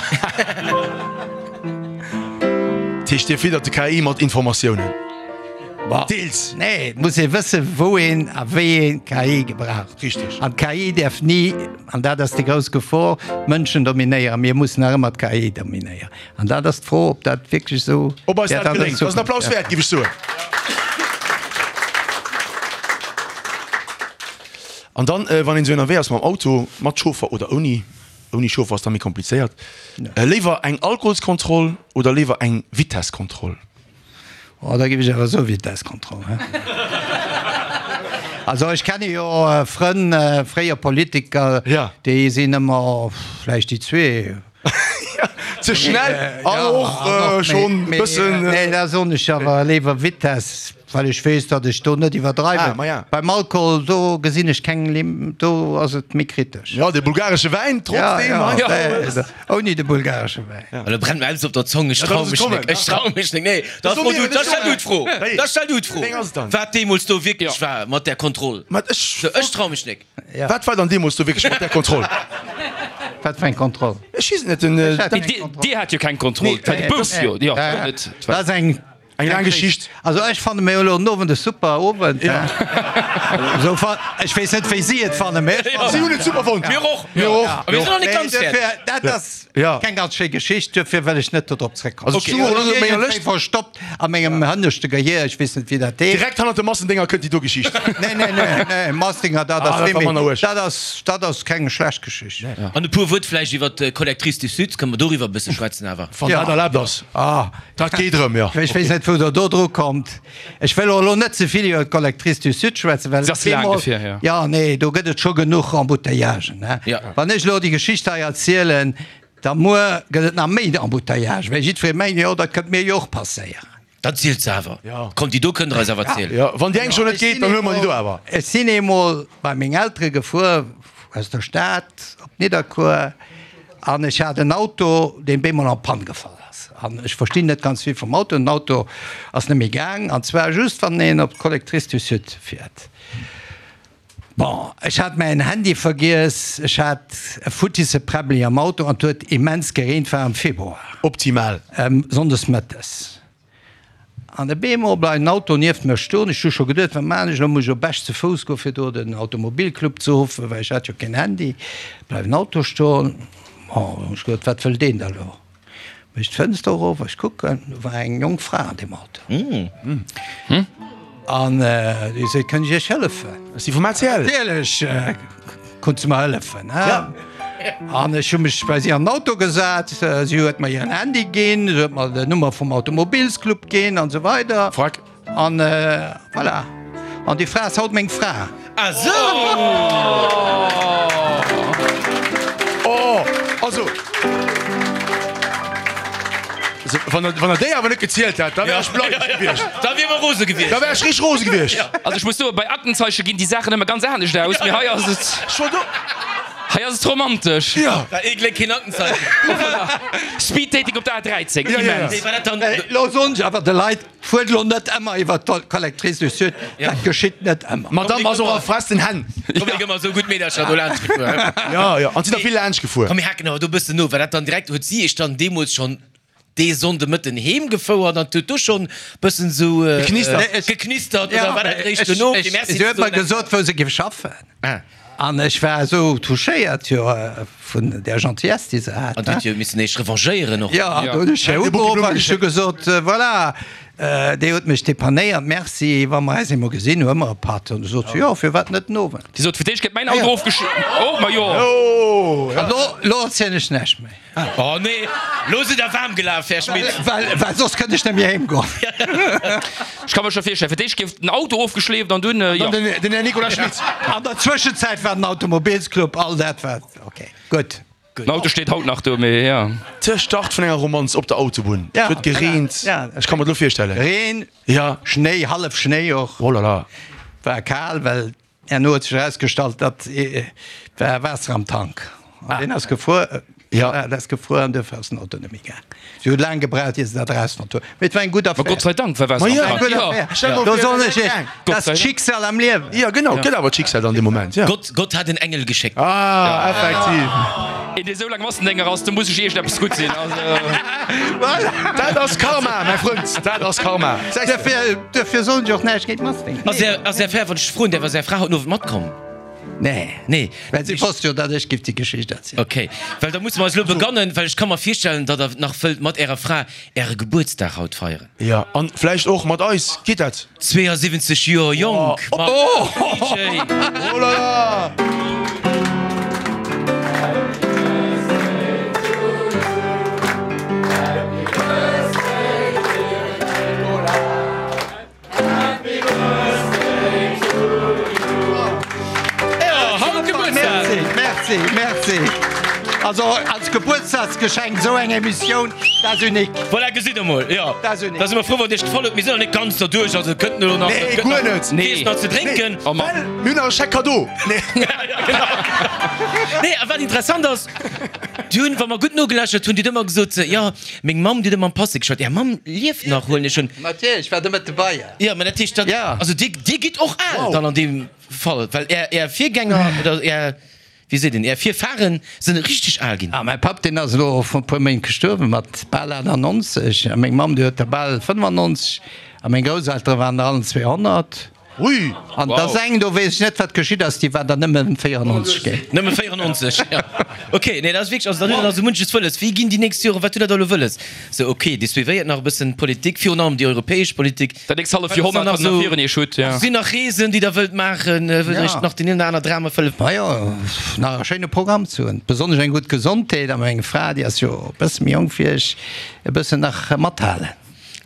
Dat heescht, Dir fiddert de KI mat Informatiounen? Deels. Nee, et muss ee wëssen, wou een a wéi een K I gebraucht. Richteg. An d'K I däerf ni, an dat ass déi grouss Gefor, d'Mënschen dominéieren. Mir mussen nach ëmmer d'K I dominéieren. An dat ass d'Fro, ob dat wierklech esou Ob eis wäert dat an der geléngt. Dat ass en Zukunft. Applaus wäert, géif ech soen. An dann, wann een esou ënnerwee ass mam Auto, mat Chauffer oder ouni, ouni Chauffer ass da méi komplizéiert, léiwer eng Alkoholskontroll oder léiwer eng Vitesskontroll? Oh, da géif ech awer soe Vitesskontroll, he? Also ech kenne jo Frënn, fréier Politiker, déi sinn ëmmer vläicht déi zwee. Ze schnell an och schonn e bëssen. Nee, da soen ech awer léiwer Vitess, well ech weess, datt ech do net iwwerdreiwen. Beim Alkohol, do gesinn ech keng Lim, do ass et méi kritesch. Jo, de bulgaresche Wäin trotzdem. Ouni de bulgaresche Wäin. Elo brennt mer eppes op der Zong, ech trau mech nek, ech trau mech nek. Nee, da fro du, da stell du d'Fro, da stell du d'Fro, wat deemools do wierklech war mat där Kontroll. Ech trau mech nek. Wat war dann deemools do wierklech mat där Kontroll? Wat fir eng Kontroll? Ech weess et net. Den, Dir hat jo keng Kontroll. Nee, de Bus jo. Jo, net. Dat ass eng Eng laang Geschicht. Also ech fanne mir elo den Owend e super Owend. Esou fa ech weess net wéi si et fannen, mee ech fannen. Si hunn et super fonnt. Mir och. Mir och. A mir sinn nach net ganz fäerdeg. Dat ass keng ganz schéi Geschicht, duerfir wëll ech net dodrop zréckkommen. Also ech hu elo op menger Lëscht. Verstoppt a mengem hënneschte Gehier, ech weess net wéi dat heescht. Direkt hannert de Massendinger kënnt déi do Geschicht. Nee, nee, nee, nee, Massdinger, dat ass Ah, dat war manner uerg. Dat ass, dat ass keng schlecht Geschicht. An e puer Wuert vläicht iwwer d'Collectrice du Sud, kënne mer doriwwer e bësse schwätzen awer? Wann dat erlaabt ass. Ah. Dat geet erëm, jo. Ech weess net, wou Der do dru kommt. Ech wëll och elo net ze vill iwwer d'Collectrice du Sud schwätzen, well Se ass laang bemol, dofir, jo. jo, nee, do gëtt et scho genuch Embouteillagen, hein. Ja. Wann ech elo déi Geschicht hei erzielen, da muer gëtt et nach méi Embouteillagen, well jiddweree mengt, jo, dat kënnt mir jo och passéieren. Dat zielt se awer. Ja. Komm, déi do kënnt der eis awer zielen. Ja, wann déi eng schonn net geet, dann huele mer déi do awer. Ech sinn eemol bei meng Eltere gefuer, aus der Stad op Nidderkuer, an ech hat en Auto, deen bemol en panne gefall ass. An ech verstinn net ganz vill vum Auto. Den Auto ass net méi gaang, an zwar just wann een op d'Collectrice du Sud fiert. Bon, ech hat mäin Handy vergiess, ech hat e futtisse Präbbeli am Auto an et huet immens gereent, war am Februar. Optimal. Sonndes mëttes. An op eemol bleift en Auto nieft mir stoen. Ech hu scho geduet, wat maan ech elo, muss ech op Esch ze Fouss goen, fir do den Automobilclub ze ruffen, well ech hat jo keen Handy. Bleift en Auto stoen. Bon, hunn ech geduet, wat wëll deen da elo? Mécht d'Fënster erof, ech kucken, do war eng jonk Fra an deem Auto. An déi seet, Kënnt ech Iech hëllefen? Ass déi vum A C L? Natierlech konnt se mer hëllefen. An ech hu mech bei si an den Auto gesat, si huet mer hiren Handy ginn, si huet mer den Nummer vum Automobilsclub ginn an esou weider. Frack. An voilà. An déi Fra ass haut meng Fra. Ah sou! Oh, also. Also, wann der, wann der déi awer net gezielt hätt, da wär ech bleich gewiescht. Da wier mer rose gewiescht. Da wär ech richteg rose gewiescht. Also ech muss soen, bei Aktenzeichen ginn déi Saachen ëmmer ganz anescht aus, mee hei ass et, Ech war do. hei ass et romantesch. Ja. War ee Gléck keen Aktenzeichen. Speed-Dating op der A dräizéng, Ja, ja, ja. immens. Nee, war dat dann. Lo soen ech awer de Leit, Fuert elo net ëmmer iwwer d'Collectrice du Sud, dat geschitt net ëmmer. D'Madame ass och a festen Hänn. Komm, mir gëmmer esou gutt Meedercher do laanscht gefuer. Ja, ja. An si der vill laanscht gefuer. Komm, mir haken awer do e bëssen no. War dat dann direkt, huet si iech dann deemools schonn dee Sonnde Mëtten heem gefouert an huet do schonn bëssen esou Geknistert. geknistert oder war dat eréischt duerno, fir Merci Si ze huet mer soen? gesot, wou se géif schaffen. Ah. An ech war esou touchéiert jo vun där Gentillesse, déi se hat. An du huet jo missen éischt revanchéieren och. Jo, an do hunn ech hir ugeruff an ech hu gesot, Voilà, Dir hutt mech depannéiert, merci, wa mer eis eemol gesinn, huele mer e Patt. An du sot se, Jo, firwat net den Owend? Si sot, Fir d'éischt gëtt mäin Auto ofgesch. Oh, ma jo. An lo, lo erzielen ech näischt méi. Oh nee, lo sidd der waarm gelaf, Här Schmit. Well, well soss kënnt ech net méi heem goen. Ech ka mer scho virstellen, fir d'éischt gouf den Auto ofgeschleeft an dunn, jo. Dann den, den Här Nicolas Schmit. An der Zwëschenzäit war den Automobilsclub, all dat wat, okay, gutt. Den Auto steet haut nach do, mee jo. De Start vun enger Romanz op der Autobunn. Ja, Et huet gereent. ja. Ech ka mer et elo virstellen. Reen, Ja. Schnéi, hallef Schnéi och. Oh là là. War kal, well herno huet sech erausgestallt, datt war Waasser am Tank. An deen ass gefruer. Ja. Dat ass gefruer an duerfir ass den Auto net méi gaang. Si huet laang gebraucht, ier se dat erausfonnt huet. Mee et war eng gutt Ma Affär. Gott sei Dank war Waasser Ma am ja, Tank. Eng gutt Ja. Affär. Stell mol Do vir, soen dat ech wär Iech, gaang. dat Gott ass sei Dank. d'Schicksal am Liewen. Ja, genau, gëtt awer d'Schicksal dann dee Moment, ja. Gott, Gott hat en Engel geschéckt. Ah, effektiv. Een dee sou laang Massendénger ass, do muss ech iergendeppes gutt sinn. Also. Voilà. Dat ass Karma, mäi Frënd, dat ass Karma. Duerfir, duerfir soen ech och näischt géint Massendénger. Ass Är, ass Är Fra, wann ech froen däerf, ass Är Fra haut den Owend matkomm? Nee. Nee. Well si wosst jo, datt ech giff déi Geschicht erzielen. Ok, well da musse mer eis elo begannen, well ech ka mer virstellen, datt Der nach wëllt mat Ärer Fra Äre Gebuertsdag haut feieren. Jo, an vläicht och mat eis. Geet dat? Zweeënsiwwenzeg Joer jonk mam D J. Oh la la! Merci, merci, merci. Also als Gebuertsdagsgeschenk esou eng Emissioun, dat ass unique. Voilà, gesitt der mol, jo. Dat ass unique. Da si mer frou, wann et iech gefall huet. Mir sinn nach net ganz derduerch, also et kënnt elo nach, Nee, et gëtt guer nach net. Nees nach ze drénken. Oh Mann. Well mir hunn nach e Chèque cadeau. Nee. Ja, genau. Nee, a wat interessant ass, déi hunn, wa mer gutt nogeläschert hunn, déi huet ëmmer gesot, jo, meng Mamm, déi huet ëmmer am Passé geschwat. Är Mamm lieft nach, huelen ech un. Natierlech, war de mat dobei. Jo, mä dat heescht, dat, Ja. also dir, dir gitt och al dann an deem Fall, well är, är Virgänger oder är, wéi seet een, är Virfahren sinn richteg al ginn. Ah, mäi Papp, deen ass elo vrun e puer Méint gestuerwen, mat bal achtannonzeg, a meng Mamm, déi huet der bal fënnefannonzeg, a meng Grousseltere waren der allen zwee honnert. Ui! An da ass eng, do weess ech net, wat geschitt ass, déi war der nëmme véierannonzeg ginn. Nëmme véierannonzeg, jo. Ok, nee, dat ass wierklech, also dann hutt Der nach sou munches wëlles. Wéi ginn déi nächst Joren, wat hutt Der da elo wëlles? Sou, ok, Dir suivéiert nach e bëssen d'Politik, virun allem déi europäesch Politik. Dat nächst halleft Joerhonnert, wat Der nach virun Iech hutt, jo. Sinn nach Reesen, déi Der wëllt maachen? Wëllt Der Iech nach deen een oder aner Dram erfëllen? Majo, nach e schéine Programm ze hunn, besonnesch eng gutt Gesondheet a meng Fra, déi ass jo e bësse méi jonk wéi ech, e bëssen nach mathalen.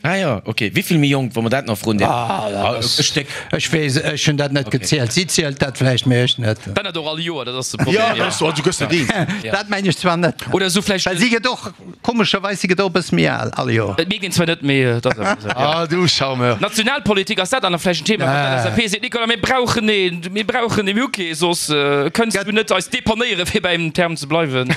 Ah jo, ok. Wéivill méi jonk, wa mer dat nach froen däerfen? Ah, dat ass, E Stéck. Ech weess, ech hunn dat net gezielt. Si zielt dat vläicht, mee ech net. Dat net och all Joer, dat ass de Problem. Jo, dat ass sou, du gëss net eens. Dat mengen ech zwar net. Oder esou vläicht. Well si gëtt och, komescherweis, si gëtt och e bësse méi al all Joer. Et mierkt een zwar net, mee et ass awer esou. Ah, du Charmeur. Nationalpolitik, ass dat dann nach vläicht en Thema, wou d'L S A P seet, Nicolas, mir brauchen een, mir brauchen een, mir hu kee, soss kënns du net eis depannéieren, fir beim Term ze bleiwen.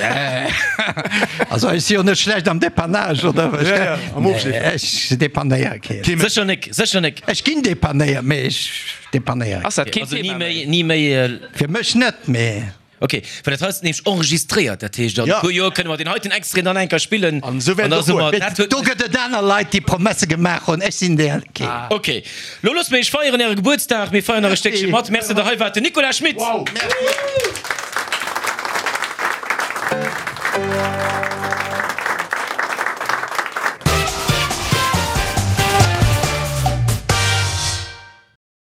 Also ech si jo net schlecht am Depannage, oder? Ja, ja, am Ofschleefen. Ech depannéiere keen. Sécher nek, sécher nek. Ech ginn depannéiert, mee ech depannéiere Ass dat keen Also ni Thema méi, méi? ni méi. Fir mech net, mee. Ok, well dat hei ass nämlech enregistréiert, dat heescht an e Ja. puer Joer kënne mer deen heiten Extrait dann eng Kéier spillen. An esou wäert da et och si mer, goen. dat huet. Do gëtt et aner Leit, déi Promesse gemaach hunn, ech sinn där keen. Ok, lo loosse mir iech feieren äre Gebuertsdag. Mir feieren nach e Stéckche mat. Merci, datt der hei waart, den Nicolas Schmit. Wow. Merci.